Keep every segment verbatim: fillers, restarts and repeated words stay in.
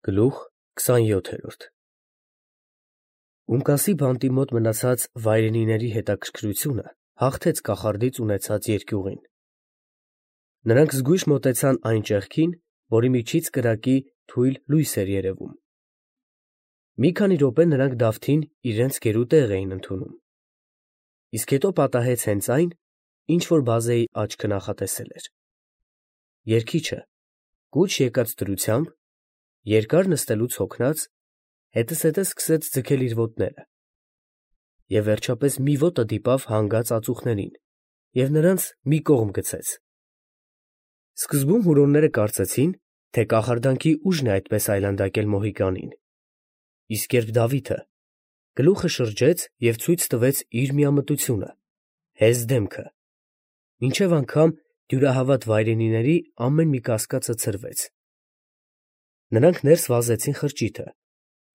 Գլուխ քսանյոթերորդ Ումկասի բանտի մոտ մնացած վայրենիների հետաքրքրությունը հաղթեց կախարդից ունեցած երկյուղին. նրանք զգույշ մոտեցան այն ճեղքին, որի միջից կրակի թույլ լույս էր երևում. մի քանի րոպե նրանք Դավթին իրենց գերու տեղ էին ընդունում, իսկ հետո պատահեց հենց այն, ինչ որ բազեի աչքը նախատեսել էր. երգիչը կուչ եկած դրությամբ, երկար նստելուց հոգնած, հետզհետե սկսեց ձգել իր ոտները և վերջապես մի ոտը դիպավ հանգած ածուխներին և նրանց մի կողմ գցեց. սկզբում հուրոնները կարծեցին, թե կախարդանքի ուժն է այդպես այլանդակել Մոհիկանին, իսկ երբ Դավիթը գլուխը շրջեց և ցույց տվեց իր միամտությունը, հեզ դեմքը, մինչև անգամ դյուրահավատ վայրենիների ամեն մի կասկածը ցրվեց. նրանք ներս վազեցին խրճիթը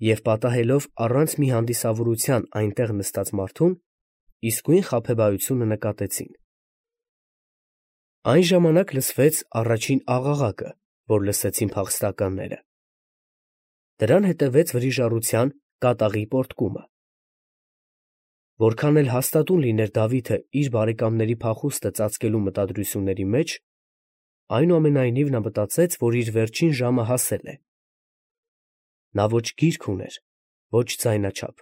և պատահելով առանց մի հանդիսավորության այնտեղ նստած մարդուն, իսկույն խաբեբայությունը նկատեցին. այն ժամանակ լսվեց առաջին աղաղակը, որ լսեցին փախստականները. դրան հետևեց վրիժառության կատաղի պոռթկումը. որքան էլ հաստատուն լիներ Դավիթը իր բարեկամների փախուստը ծածկելու մտադրությունների մեջ, այնուամենայնիվ նա մտածեց, որ իր վերջին ժամը հասել է. նա ոչ գիրք ուներ, ոչ ձայնաչափ.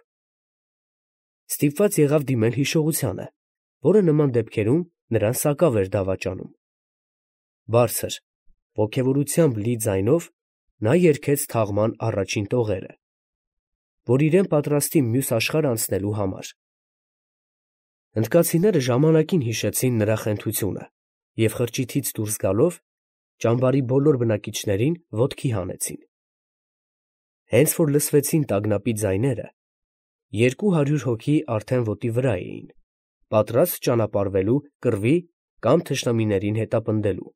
ստիպված եղավ դիմել հիշողությանը, որը նման դեպքերում նրան սակավ էր դավաճանում. բարձր, ոգևորությամբ լի ձայնով նա երգեց թաղման առաջին տողերը, որ իրեն պատրաստի մյուս աշխարհ անցնելու համար. հնդկացիները ժամանակին հիշեցին նրա խենթությունը և խրճիթից դուրս գալով, ճամբարի բոլոր բնակիչներին ոտքի հանեցին. հենց որ լսվեցին տագնապի ձայները, երկու հարյուր հոգի արդեն ոտի վրա էին, պատրաստ ճանապարհվելու կռվի կամ թշնամիներին հետապնդելու.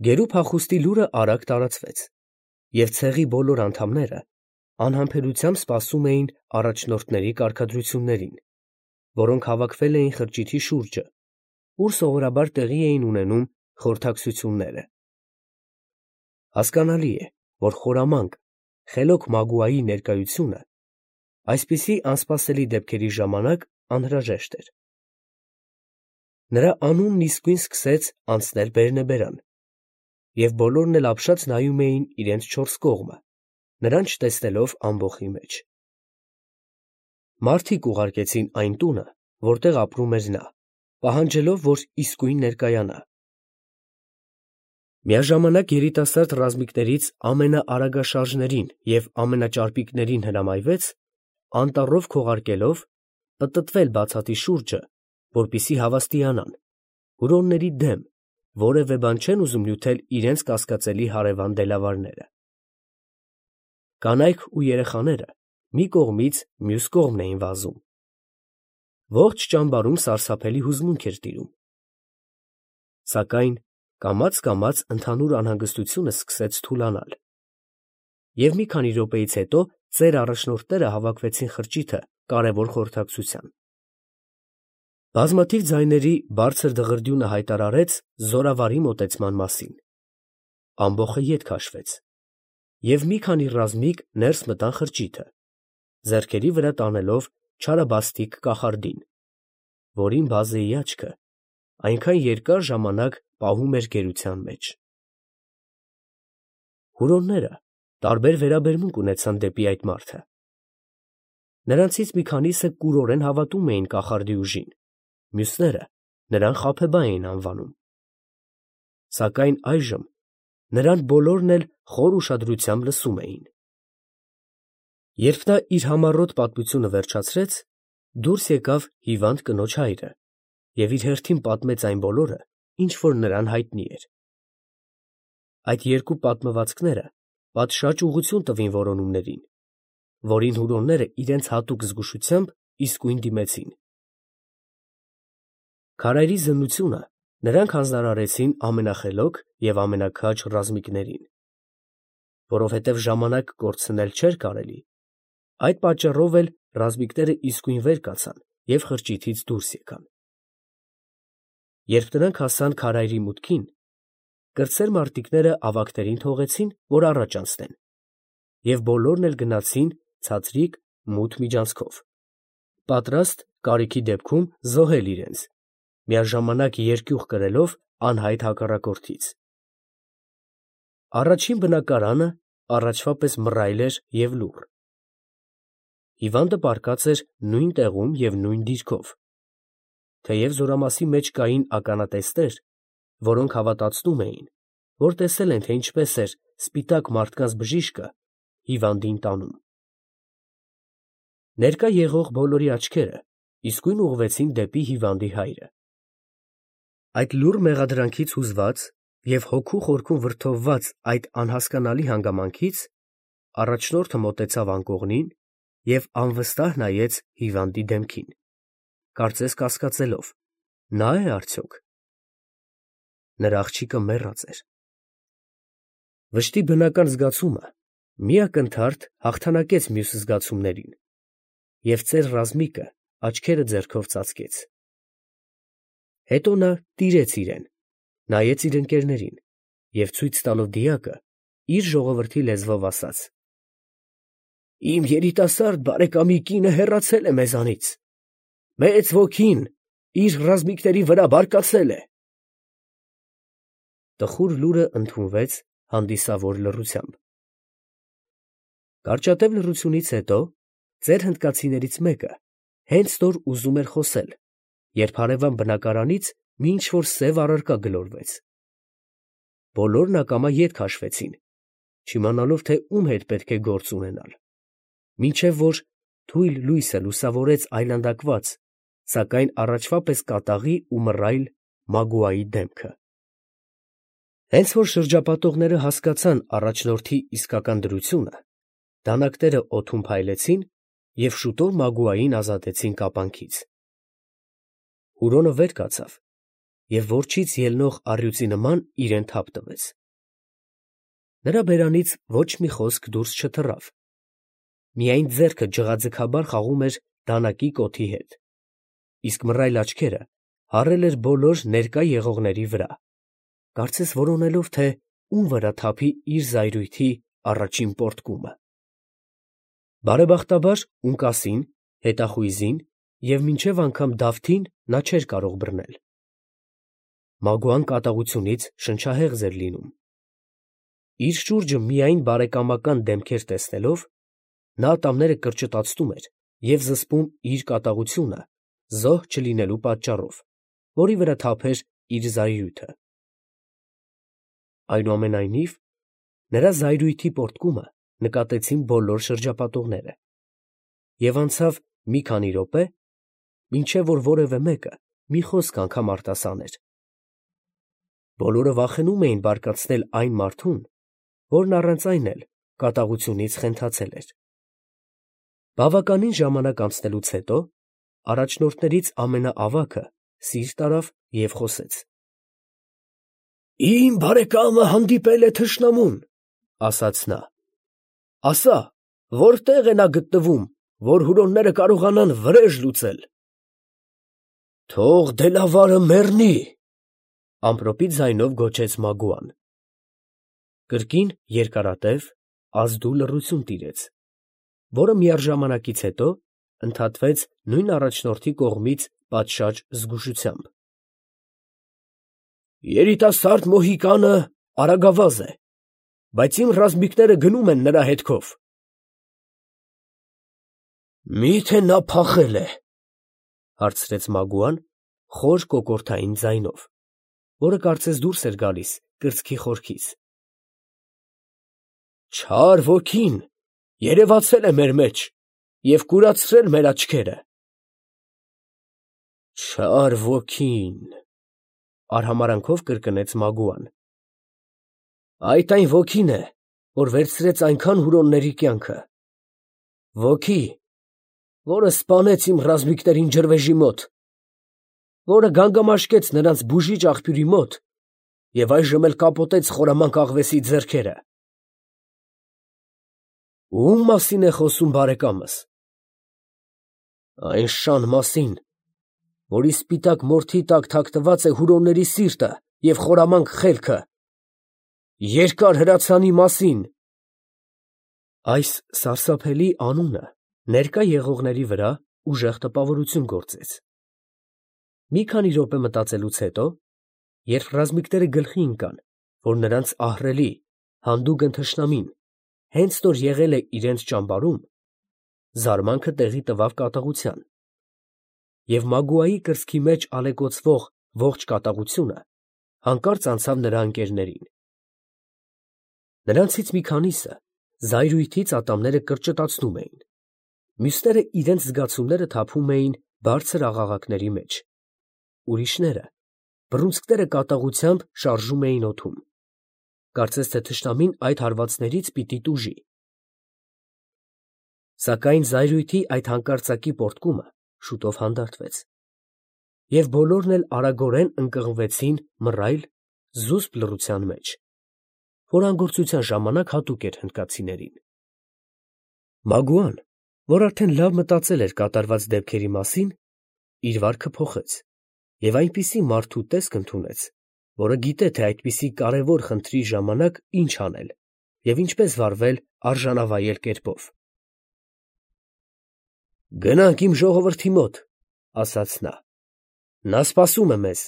գերու փախուստի լուրը արագ տարածվեց, և ցեղի բոլոր անդամները անհամբերությամբ սպասում էին առաջնորդների կարգադրություններին, որոնք հավաքվել էին խրճիթի շուրջը, ուր սովորաբար տեղի էին ունենում խորհրդակցությունները. հասկանալի է, որ խորամանկ, խելոք Մագուայի ներկայությունը այսպիսի անսպասելի դեպքերի ժամանակ անհրաժեշտ էր. նրա անունն իսկույն սկսեց անցնել բերնեբերան, և բոլորն էլ ապշած նայում էին իրենց չորս կողմը, նրան չտեսնելով ամբոխի մեջ. մարդիկ ուղարկեցին այն տունը, որտեղ ապրում էր նա, պահանջելով, որ իսկույն ներկայանա. միաժամանակ երիտասարդ ռազմիկներից ամենաարագաշարժներին և ամենաճարպիկներին հրամայվեց, անտառով քողարկելով, պտտվել բացատի շուրջը, որպեսզի հավաստիանան, հուրոնների դեմ որևէ բան չեն ուզում նյութել իրենց կասկածելի հարևան դելավարները. կանայք ու երեխաները մի կողմից մյուս կողմն էին վազում. ողջ ճամբարում սարսափելի հուզմունք էր տիրում. սակայն կամաց֊կամաց ընդհանուր անհանգստությունը սկսեց թուլանալ, և մի քանի րոպեից հետո ծեր առաջնորդները հավաքվեցին խրճիթը կարևոր խորհրդակցության. բազմաթիվ ձայների բարձր դղրդյունը հայտարարեց զորավարի մոտեցման մասին. ամբոխը ետ քաշվեց, և մի քանի ռազմիկ ներս մտան խրճիթը, ձեռքերի վրա տանելով չարաբաստիկ կախարդին, որին բազեի աչքը այնքան երկար ժամանակ պահում էր գերության մեջ. հուրոնները տարբեր վերաբերմունք ունեցան դեպի այդ մարդը. նրանցից մի քանիսը կուրորեն հավատում էին կախարդի ուժին, մյուսները նրան խաբեբա էին անվանում. սակայն այժմ նրան բոլորն էլ խոր ուշադրությամբ լսում էին. երբ նա իր համառոտ պատմությունը վերջացրեց, դուրս եկավ հիվանդ կնոջ հայրը և իր հերթին պատմեց այն բոլորը, ինչ որ նրան հայտնի էր. այդ երկու պատմվածքները պատշաճ ուղղություն տվին որոնումներին, որին հուրոնները իրենց հատուկ զգուշությամբ իսկույն դիմեցին. քարայրի զննությունը նրանք հանձնարարեցին ամենախելոք և ամենաքաջ ռազմիկներին. որովհետև ժամանակ կորցնել չէր կարելի, այդ պատճառով էլ ռազմիկները իսկույն վեր կացան և խրճիթից դուրս եկան. երբ նրանք հասան քարայրի մուտքին, կրտսեր մարտիկները ավագներին թողեցին, որ առաջ անցնեն, և բոլորն էլ գնացին ցածրիկ մութ միջանցքով, պատրաստ կարիքի դեպքում զոհել իրենց, միաժամանակ երկյուղ կրելով անհայտ հակառակորդից։ Առաջին բնակարանը առաջվա պես մռայլ էր և լուռ։ Հիվանդը պառկած էր նույն տեղում և նույն դիրքով, թեև զորամասի մեջ կային ականատեսներ, որոնք հավատացնում էին, որ տեսել են, թե ինչպես էր սպիտակ մարդկանց բժիշկը հիվանդին տանում։ Ներկա եղող բոլորի աչքերը իսկույն ուղղվեցին դեպի հիվանդի հայրը։ Այդ լուռ մեղադրանքից հուզված և հոգու խորքում վրդովված այդ անհասկանալի հանգամանքից առաջնորդը մոտեցավ անկողնին և անվստահ նայեց հիվանդի դեմքին, կարծես կասկածելով. նա է արդյոք։ Նրա աղջիկը մեռած էր։ Վշտի բնական զգացումը մի ակնթարթ հաղթանակեց մյուս զգացումներին, և ծեր ռազմիկը աչքերը ձեռքով ծածկեց։ Հետո նա տիրեց իրեն, նայեց իր ընկերներին և ցույց տալով դիակը, իր ժողովրդի լեզվով ասաց. «Իմ երիտասարդ բարեկամի կինը հեռացել է մեզանից, մեծ ոգին իր ռազմիկների վրա բարկացել է»։ Տխուր լուրը ընդունվեց հանդիսավոր լռությամբ։ Կարճատև լռությունից հետո ծեր հնդկացիներից մեկը հենց նոր ուզում էր խոսել, երբ հարևան բնակարանից մի ինչ֊որ սև առարկա գլորվեց։ Բոլորն ակամա ետ քաշվեցին, չիմանալով, թե ում հետ պետք է գործ ունենալ, մինչև որ թույլ լույսը լուսավորեց այլանդակված, սակայն առաջվա պես կատաղի ու մռայլ Մագուայի դեմքը։ Հենց որ շրջապատողները հասկացան առաջնորդի իսկական դրությունը, դանակաները օդում փայլեցին և շուտով Մագուային ազատեցին կապանքից։ Հուրոնը վեր կացավ և որջից ելնող առյուծի նման իրեն թափ տվեց։ Նրա բերանից ոչ մի խոսք դուրս չթռավ, միայն ձեռքը ջղաձգաբար խաղում էր դանակի կոթի հետ, իսկ մռայլ աչքերը հառել էր բոլոր ներկա եղողների վրա, կարծես որոնելով, թե ում վրա թափի իր զայրույթի առաջին պոռթկումը։ Բարեբախտաբար ունկասին, հետախույզին և մինչև անգամ Դավթին նա չէր կարող բռնել։ Մագուան կատաղությունից շնչահեղձ էր լինում։ Իր շուրջը միայն բարեկամական դեմքեր տեսնելով, նա ատամները կրճտացնում էր և զսպում իր կատաղությունը զոհ չլինելու պատճառով, որի վրա թափեր իր զայրույթը։ Այնուամենայնիվ, նրա զայրույթի պոռթկումը նկատեցին բոլոր շրջապատողները, և անցավ մի քանի րոպե, մինչև որ որևէ մեկը մի խոսք անգամ արտասաներ։ Բոլորը վախենում էին բարկացնել այն մարդուն, որն առանց այն էլ կատաղությունից խենթացել էր։ Բավականին ժամանակ անցնելուց հետո առաջնորդներից ամենաավագը սիրտ արավ և խոսեց. «Իմ բարեկամը հանդիպել է թշնամուն, ֊ ասաց նա, ֊ ասա, որտե՞ղ է նա գտնվում, որ հուրոնները կարողանան վրեժ լուծել»։ ֊ Թող դելավարը մեռնի, ֊ ամպրոպի ձայնով գոչեց Մագուան։ Կրկին երկարատև, ազդու լռություն տիրեց, որը միառժամանակից հետո ընդհատվեց նույն առաջնորդի կողմից պատշաճ զգուշությամբ։ «Երիտասարդ մոհիկանը արագավազ է, բայց իմ ռազմիկները գնում են նրա հետքով»։ «Մի՞թե նա փախել է, ֊ հարցրեց Մագուան խոր կոկորդային ձայնով, որը կարծես դուրս էր գալիս կրծքի խորքից։ ֊ Չար ոգին երևացել է մեր մեջ և կուրացրել մեր աչքերը։ ֊ Չար ոգին, ֊ արհամարանքով կրկնեց Մագուան։ ֊ Այդ այն ոգին է, որ վերցրեց այնքան հուրոնների կյանքը, ոգի, որը սպանեց իմ ռազմիկներին ջրվեժի մոտ, որը գանգամաշկեց նրանց բուժիչ աղբյուրի մոտ և այժմ էլ կապոտեց խորամանկ աղվեսի ձեռքերը։ Ո՞ւմ մասին է խոսում բարեկամս։ ֊ Այն շան մասին, որի սպիտակ մորթի տակ թաքնված է հուրոնների սիրտը և խորամանկ խելքը, երկար հրացանի մասին։ Այս սարսափելի անունը ներկա եղողների վրա ուժեղ տպավորություն գործեց։ Մի քանի րոպե մտածելուց հետո, երբ ռազմիկները գլխի ընկան, որ նրանց ահռելի, հանդուգն թշնամին հենց նոր եղել է իրենց ճամբարում, զարմանքը տեղի տվավ կատաղության, և Մագուայի կրծքի մեջ ալեկոծվող ողջ կատաղությունը հանկարծ անցավ նրա ընկերներին։ Նրանցից մի քանիսը զայրույթից ատամները կրճտացնում էին, մյուսները իրենց զգացումները թափում էին բարձր աղաղակների մեջ, ուրիշները բռունցքները կատաղությամբ շարժում էին օդում, կարծես թե թշնամին այդ հարվածներից պիտի տուժի։ Սակայն զայրույթի այդ հանկարծակի պոռթկումը շուտով հանդարտվեց, և բոլորն էլ արագորեն ընկղմվեցին մռայլ, զուսպ լռության մեջ, որ անգործության ժամանակ հատուկ էր հնդկացիներին։ Մագուան, որ արդեն լավ մտածել էր կատարված դեպքերի մասին, իր վարքը փոխեց և այնպիսի մարդու տեսք ընդունեց, որը գիտե, թե այդպիսի կարևոր խնդրի ժամանակ ինչ անել և ինչպես վարվել արժանավայել կերպով։ «Գնանք իմ ժողովրդի մոտ, ֊ ասաց նա, ֊ նա սպասում է մեզ»։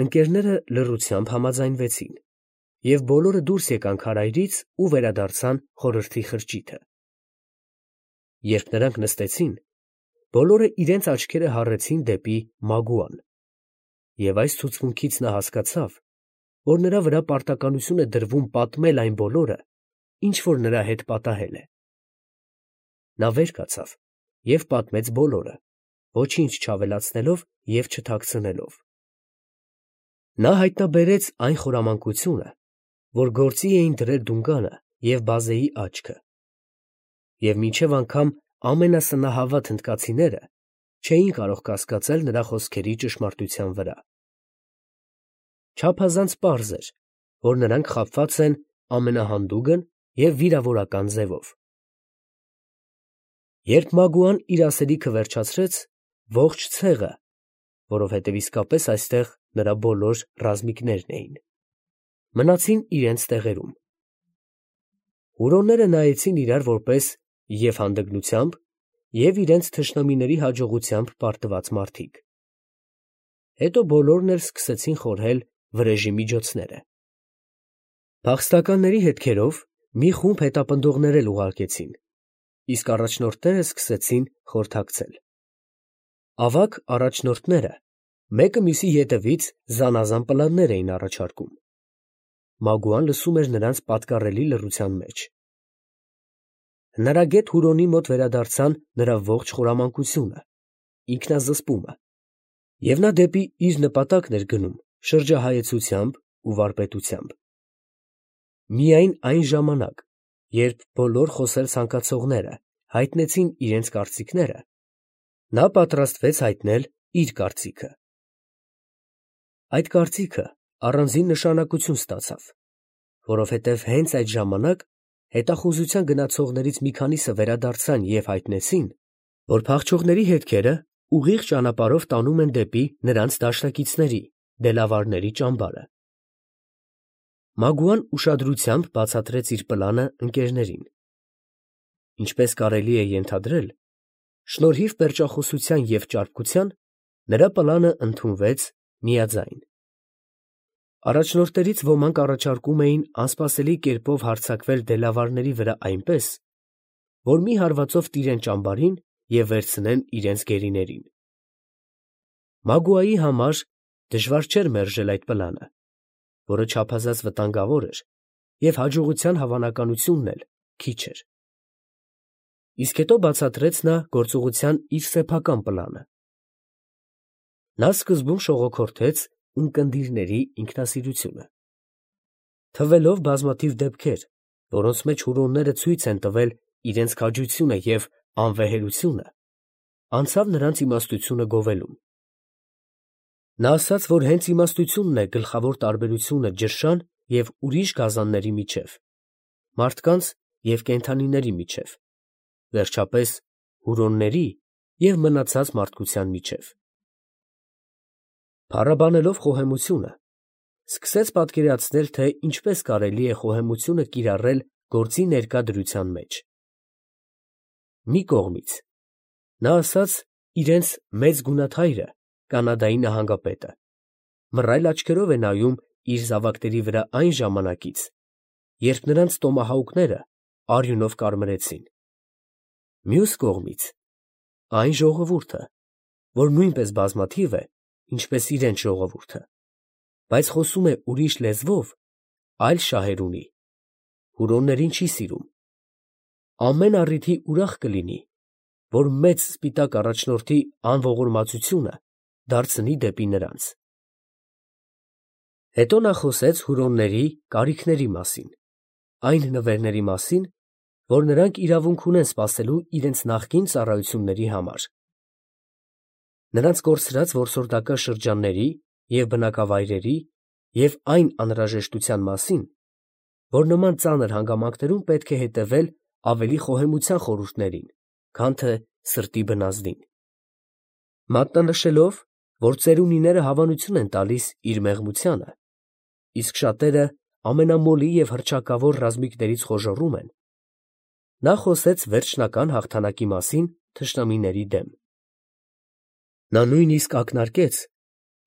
Ընկերները լռությամբ համաձայնվեցին, և բոլորը դուրս եկան քարայրից ու վերադարձան խորհրդի խրճիթը։ Երբ նրանք նստեցին, բոլորը իրենց աչքերը հառեցին դեպի Մագուան, և այս ցուցմունքից նա հասկացավ, որ նրա վրա պարտականություն է դրվում պատմել այն բոլորը, ինչ որ նրա հետ պատահել է։ Նա վեր կացավ և պատմեց բոլորը, ոչինչ չավելացնելով և չթաքցնելով։ Նա հայտնաբերեց այն խորամանկությունը, որ գործի էին դրել Դունգանը և բազեի աչքը, և մինչև անգամ ամենասնահավատ հնդկացիները չէին կարող կասկածել նրա խոսքերի ճշմարտության վրա։ Չափազանց պարզ էր, որ նրանք խաբված են ամենահանդուգն և վիրավորական ձևով։ Երբ Մագուան իր ասելիքը վերջացրեց, ողջ ցեղը, որովհետև իսկապես այստեղ նրա բոլոր ռազմիկներն էին, մնացին իրենց տեղերում։ Հուրոնները նայեցին իրար որպես և՛ հանդգնությամբ, և՛ իրենց թշնամիների հաջողությամբ պարտված մարդիկ։ Հետո բոլորն էլ սկսեցին խորհել վրեժի միջոցները։ Փախստականների հետքերով մի խումբ հետապնդողներ էլ ուղարկեցին, իսկ առաջնորդները սկսեցին խորհրդակցել։ Ավագ առաջնորդները մեկը մյուսի ետևից զանազան պլաններ էին առաջարկում։ Մագուան լսում էր նրանց պատկառելի լռության մեջ։ Հնարագետ Հուրոնի մոտ վերադարձան նրա ողջ խորամանկությունը, ինքնազսպումը, և նա դեպի իր նպատակն էր գնում շրջահայեցությամբ ու վարպետությամբ։ Միայն այն ժամանակ, երբ բոլոր խոսել ցանկացողները հայտնեցին իրենց կարծիքները, նա պատրաստվեց հայտնել իր կարծիքը։ Այդ կարծիքը առանձին նշանակություն ստացավ, որովհետև հենց այդ ժամանակ հետախուզության գնացողներից մի քանիսը վերադարձան և հայտնեցին, որ փախչողների հետքերը ուղիղ ճանապարհով տանում են դեպի նրանց դաշնակիցների՝ դելավարների ճամբարը։ Մագուան ուշադրությամբ բացատրեց իր պլանը ընկերներին։ Ինչպես կարելի է ենթադրել, շնորհիվ պերճախոսության և ճարպկության, նրա պլանը ընդունվեց միաձայն։ Առաջնորդներից ոմանք առաջարկում էին անսպասելի կերպով հարձակվել դելավարների վրա այնպես, որ մի հարվածով տիրեն ճամբարին և վերցնեն իրենց գերիներին։ Մագուայի համար դժվար չէր մերժել այդ պլանը, որը չափազանց վտանգավոր էր, և հաջողության հավանականությունն էլ քիչ էր։ Իսկ հետո բացատրեց նա գործողության իր սեփական պլանը։ Նա սկզբում շողոքորթեց ունկնդիրների ինքնասիրությունը։ Թվելով բազմաթիվ դեպքեր, որոնց մեջ հուրոնները ցույց են տվել իրենց քաջությունը և անվեհերությունը, անցավ նրանց իմաստությունը գովելուն։ Նա ասաց, որ հենց իմաստությունն է գլխավոր տարբերությունը ջրշան և ուրիշ գազանների միջև, մարդկանց և կենդանիների միջև, վերջապես հուրոնների և մնացած մարդկության միջև։ Փառաբանելով խոհեմությունը, սկսեց պատկերացնել, թե ինչպես կարելի է խոհեմությունը կիրառել գործի ներկա դրության մեջ։ Մի կողմից նա ասաց իրենց մեծ գունաթայրը, Կանադայի նահանգապետը, մռայլ աչքերով է նայում իր զավակների վրա այն ժամանակից, երբ նրանց տոմահաուկները արյունով կարմրեցին։ Մյուս կողմից այն ժողովուրդը, որ նույնպես բազմաթիվ է, ինչպես իրենց ժողովուրդը, բայց խոսում է ուրիշ լեզվով, այլ շահեր ունի, Հուրոններին չի սիրում, ամեն առիթի ուրախ կլինի, որ մեծ սպիտակ առաջնորդի անողորմածությունը դարձնի դեպի նրանց։ Հետո նա խոսեց Հուրոնների կարիքների մասին, այն նվերների մասին, որ նրանք իրավունք ունեն սպասելու իրենց նախկին ծառայությունների համար։ Նրանց կորցրած որսորդական շրջանների և բնակավայրերի և այն անհրաժեշտության մասին, որ նման ծանր հանգամանքներում պետք է հետևել ավելի խոհեմության խորհուրդներին, քան թե սրտի բնազդին, մատնանշելով, որ ծերունիները հավանություն են տալիս իր մեղմությանը, իսկ շատերը ամենամոլի և հռչակավոր ռազմիկներից խոժոռում են, նա խոսեց վերջնական հաղթանակի մասին թշնամիների դեմ։ Նա նույնիսկ ակնարկեց,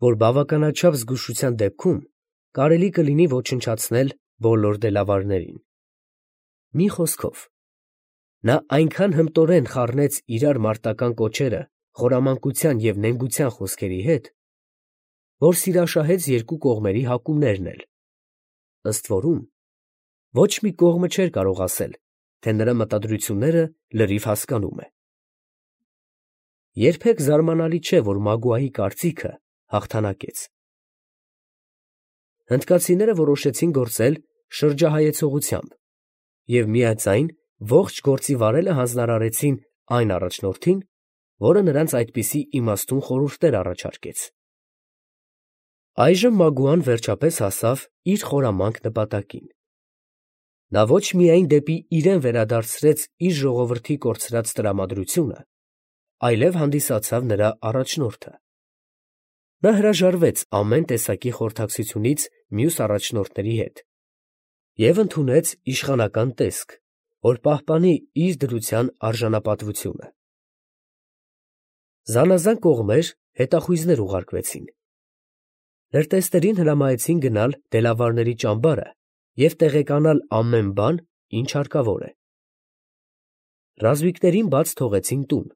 որ բավականաչափ զգուշության դեպքում կարելի կլինի ոչնչացնել բոլոր դելավարներին։ Մի խոսքով, նա այնքան հմտորեն խառնեց իրար մարտական կոչերը խորամանկության և նենգության խոսքերի հետ, որ սիրաշահեց երկու կողմերի հակումներն էլ, ըստ որում, ոչ մի կողմը չէր կարող ասել, թե նրա մտադրությունները լրիվ հասկանում է։ Երբեք զարմանալի չէ, որ Մագուայի կարծիքը հաղթանակեց։ Հնդկացիները որոշեցին գործել շրջահայեցողությամբ և միաձայն ողջ գործի վարելը հանձնարարեցին այն առաջնորդին, որը նրանց այդպիսի իմաստուն խորհուրդներ առաջարկեց։ Այժմ Մագուան վերջապես հասավ իր խորամանկ նպատակին։ Նա ոչ միայն դեպի իրեն վերադարձրեց իր ժողովրդի կորցրած տրամադրությունը, այլև հանդիսացավ նրա առաջնորդը։ Նա հրաժարվեց ամեն տեսակի խորհրդակցությունից մյուս առաջնորդների հետ և ընդունեց իշխանական տեսք, որ պահպանի իր դրության արժանապատվությունը։ Զանազան կողմեր հետախույզներ ուղարկվեցին։ Լրտեսներին հրամայեցին գնալ դելավարների ճամբարը և տեղեկանալ ամեն բան, ինչ հարկավոր է։ Ռազմիկներին բաց թողեցին տուն,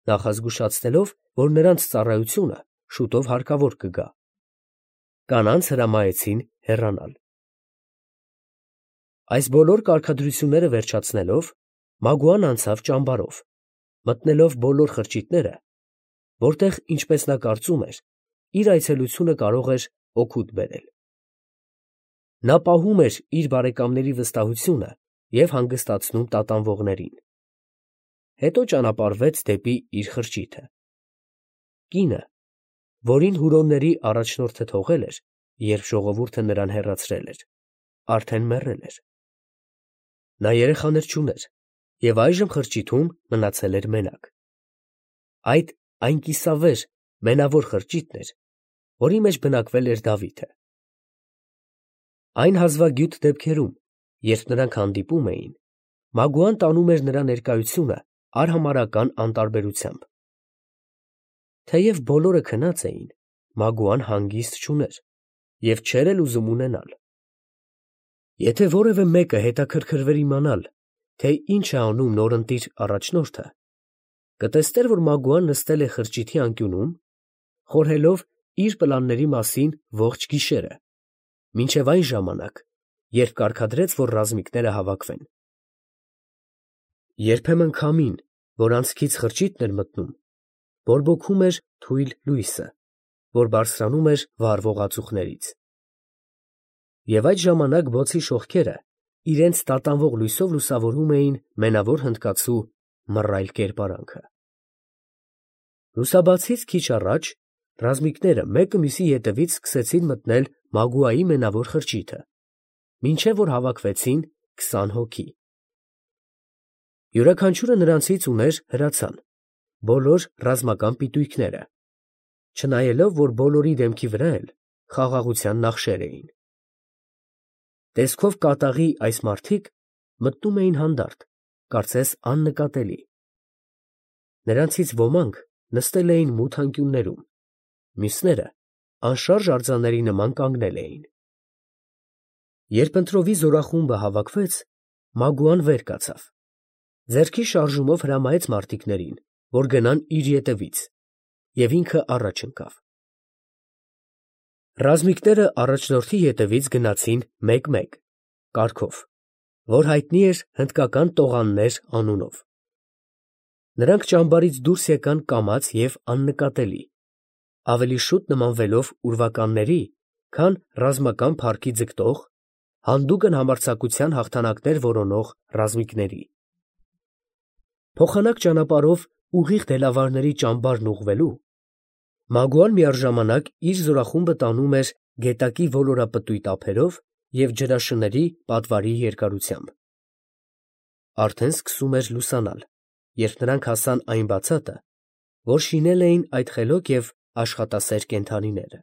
նախազգուշացնելով, որ նրանց ծառայությունը շուտով հարկավոր կգա։ Կանանց հրամայեցին հեռանալ։ Այս բոլոր կարգադրությունները վերջացնելով, Մագուան անցավ ճամբարով, մտնելով բոլոր խրճիթները, որտեղ, ինչպես նա կարծում էր, իր այցելությունը կարող էր օգուտ բերել։ Նա պահում էր իր բարեկամների վստահությունը և հանգստացնում տատանվողներին։ Հետո ճանապարհվեց դեպի իր խրճիթը։ Կինը, որին Հուրոնների առաջնորդը թողել էր, երբ ժողովուրդը նրան հեռացրել էր, արդեն մեռել էր։ Նա երեխաներ չուներ և այժմ խրճիթում մնացել էր մենակ։ Այդ այն կիսավեր, մենավոր խրճիթն էր, որի մեջ բնակվել էր Դավիթը։ Այն հազվագյուտ դեպքերում, երբ նրանք հանդիպում էին, Մագուան տանում էր նրա ներկայությունը արհամարհական անտարբերությամբ։ Թեև բոլորը քնած էին, Մագուան հանգիստ չուներ և չէր էլ ուզում ունենալ։ Եթե որևէ մեկը հետաքրքրվեր իմանալ, թե ինչ է անում նորընտիր առաջնորդը, կտեսներ, որ Մագուան նստել է խրճիթի անկյունում, խորհելով իր պլանների մասին ողջ գիշերը, մինչև այն ժամանակ, երբ կարգադրեց, որ ռազմիկները հավաքվեն։ Երբեմն քամին, որ անցքից խրճիթն էր մտնում, բորբոքում էր թույլ լույսը, որ բարձրանում էր վառվող ածուխներից։ Եվ այդ ժամանակ բոցի շողքերը իրենց տատանվող լույսով լուսավորում էին մենավոր հնդկացու մռայլ կերպարանքը։ Լուսաբացից քիչ առաջ ռազմիկները մեկը մյուսի ետևից սկսեցին մտնել Մագուայի մենավոր խրճիթը, մինչև որ հավաքվեցին քսան հոգի։ Յուրաքանչյուրը նրանցից ուներ հրացան, բոլոր ռազմական պիտույքները, չնայելով, որ բոլորի դեմքի վրա էլ խաղաղության նախշեր էին։ Տեսքով կատաղի այս մարդիկ մտնում էին հանդարտ, կարծես աննկատելի։ Նրանցից ոմանք նստել էին մութ անկյուններում, մյուսները անշարժ արձանների նման կանգնել էին։ Երբ ընտրովի զորախումբը հավաքվեց, Մագուան վեր կացավ, ձեռքի շարժումով հրամայեց մարտիկներին, որ գնան իր ետևից, և ինքը առաջ ընկավ։ Ռազմիկները առաջնորդի ետևից գնացին մեկ֊մեկ, կարգով, որ հայտնի էր հնդկական տողաններ անունով։ Նրանք ճամբարից դուրս եկան կամաց և աննկատելի, ավելի շուտ նմանվելով ուրվականների, քան ռազմական փառքի ձգտող, հանդուգն համարձակության հաղթանակներ որոնող ռազմիկների։ Փոխանակ ճանապարհով ուղիղ դելավարների ճամբարն ուղղվելու, Մագուան միաժամանակ իր զորախումբը տանում էր գետակի ոլորապտույտ ափերով և ջրաշների պատվարի երկարությամբ։ Արդեն սկսում էր լուսանալ, երբ նրանք հասան այն բացատը, որ շինել էին այդ խելոք և աշխատասեր կենդանիները։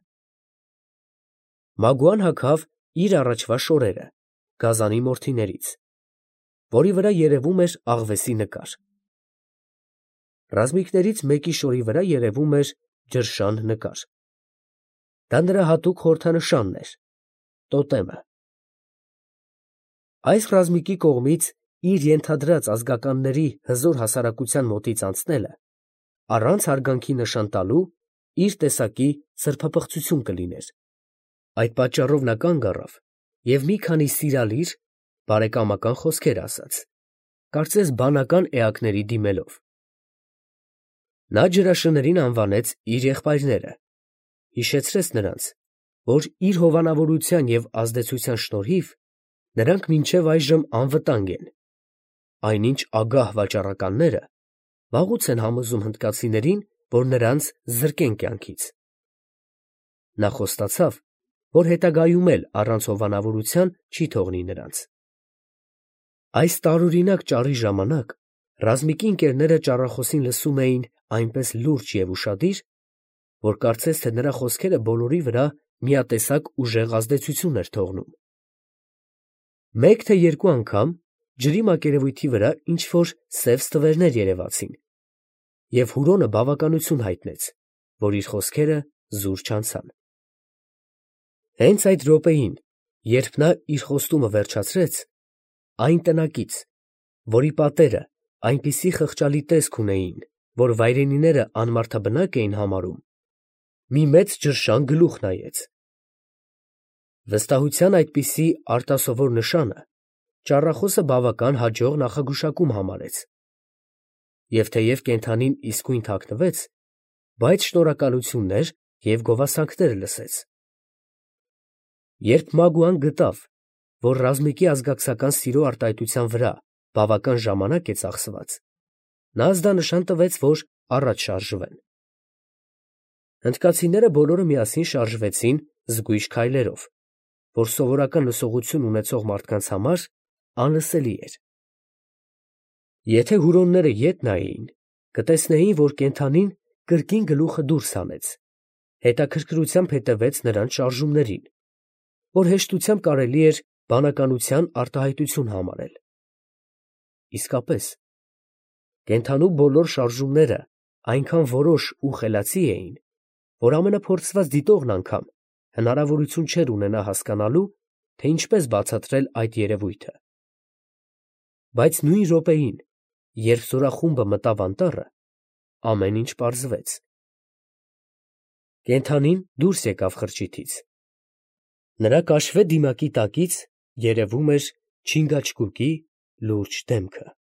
Մագուան հագավ իր առաջվա շորերը գազանի մորթիներից, որի վրա երևում էր աղվեսի նկար։ Ռազմիկներից մեկի շորի վրա երևում էր ջրշան նկար։ Դա նրա հատուկ խորհրդանշանն էր, տոտեմը։ Այս ռազմիկի կողմից իր ենթադրած ազգականների հզոր հասարակության մոտից անցնելը, առանց հարգանքի նշան տալու, իր տեսակի սրբապղծություն կլիներ։ Այդ պատճառով նա կանգ առավ և մի քանի սիրալիր, բարեկամական խոսքեր ասաց, կարծես բանական էակների դիմելով։ Նա ջրաշներին անվանեց իր եղբայրները, հիշեցրեց նրանց, որ իր հովանավորության և ազդեցության շնորհիվ նրանք մինչև այժմ անվտանգ են, այնինչ ագահ վաճառականները վաղուց են համոզում հնդկացիներին, որ նրանց զրկեն կյանքից։ Նա խոստացավ, որ հետագայում էլ առանց հովանավորության չի թողնի նրանց։ Այս տարօրինակ ճառի ժամանակ ռազմիկի ընկերները ճառախոսին լսում էին այնպես լուրջ և ուշադիր, որ կարծես թե նրա խոսքերը բոլորի վրա միատեսակ ուժեղ ազդեցություն էր թողնում։ Մեկ թե երկու անգամ ջրի մակերևույթի վրա ինչ֊որ սև ստվերներ երևացին, և Հուրոնը բավականություն հայտնեց, որ իր խոսքերը զուր չանցան։ Հենց այդ րոպեին, երբ նա իր խոստումը վերջացրեց, այն տնակից, որի պատերը այնպիսի խղճալի տեսք ունեին, որ վայրենիները անմարդաբնակ էին համարում, մի մեծ ջրշան գլուխ նայեց։ Վստահության այդպիսի արտասովոր նշանը ճառախոսը բավական հաջող նախագուշակում համարեց, և թեև կենդանին իսկույն թաքնվեց, բայց շնորհակալություններ և գովասանքներ լսեց։ Երբ Մագուան գտավ, որ ռազմիկի ազգակցական սիրո արտահայտության վրա բավական ժամանակ է ծախսված, նա ազդանշան տվեց, որ առաջ շարժվեն։ Հնդկացիները բոլորը միասին շարժվեցին զգույշ քայլերով, որ սովորական լսողություն ունեցող մարդկանց համար անլսելի էր։ Եթե հուրոնները ետ նայեին, կտեսնեին, որ կենդանին կրկին գլուխը դուրս հանեց, հետաքրքրությամբ հետևեց նրանց շարժումներին, որ հեշտությամբ կարելի էր բանականության արտահայտություն համարել։ Իսկապես, կենդանու բոլոր շարժումները այնքան որոշ ու խելացի էին, որ ամենափորձված դիտողն անգամ հնարավորություն չէր ունենա հասկանալու, թե ինչպես բացատրել այդ երևույթը։ Բայց նույն րոպեին, երբ զորախումբը մտավ անտառը, ամեն ինչ պարզվեց։ Կենդանին դուրս եկավ խրճիթից։ Նրա կաշվե դիմակի տակից երևում էր չինգաչգուկի լուրջ դեմքը։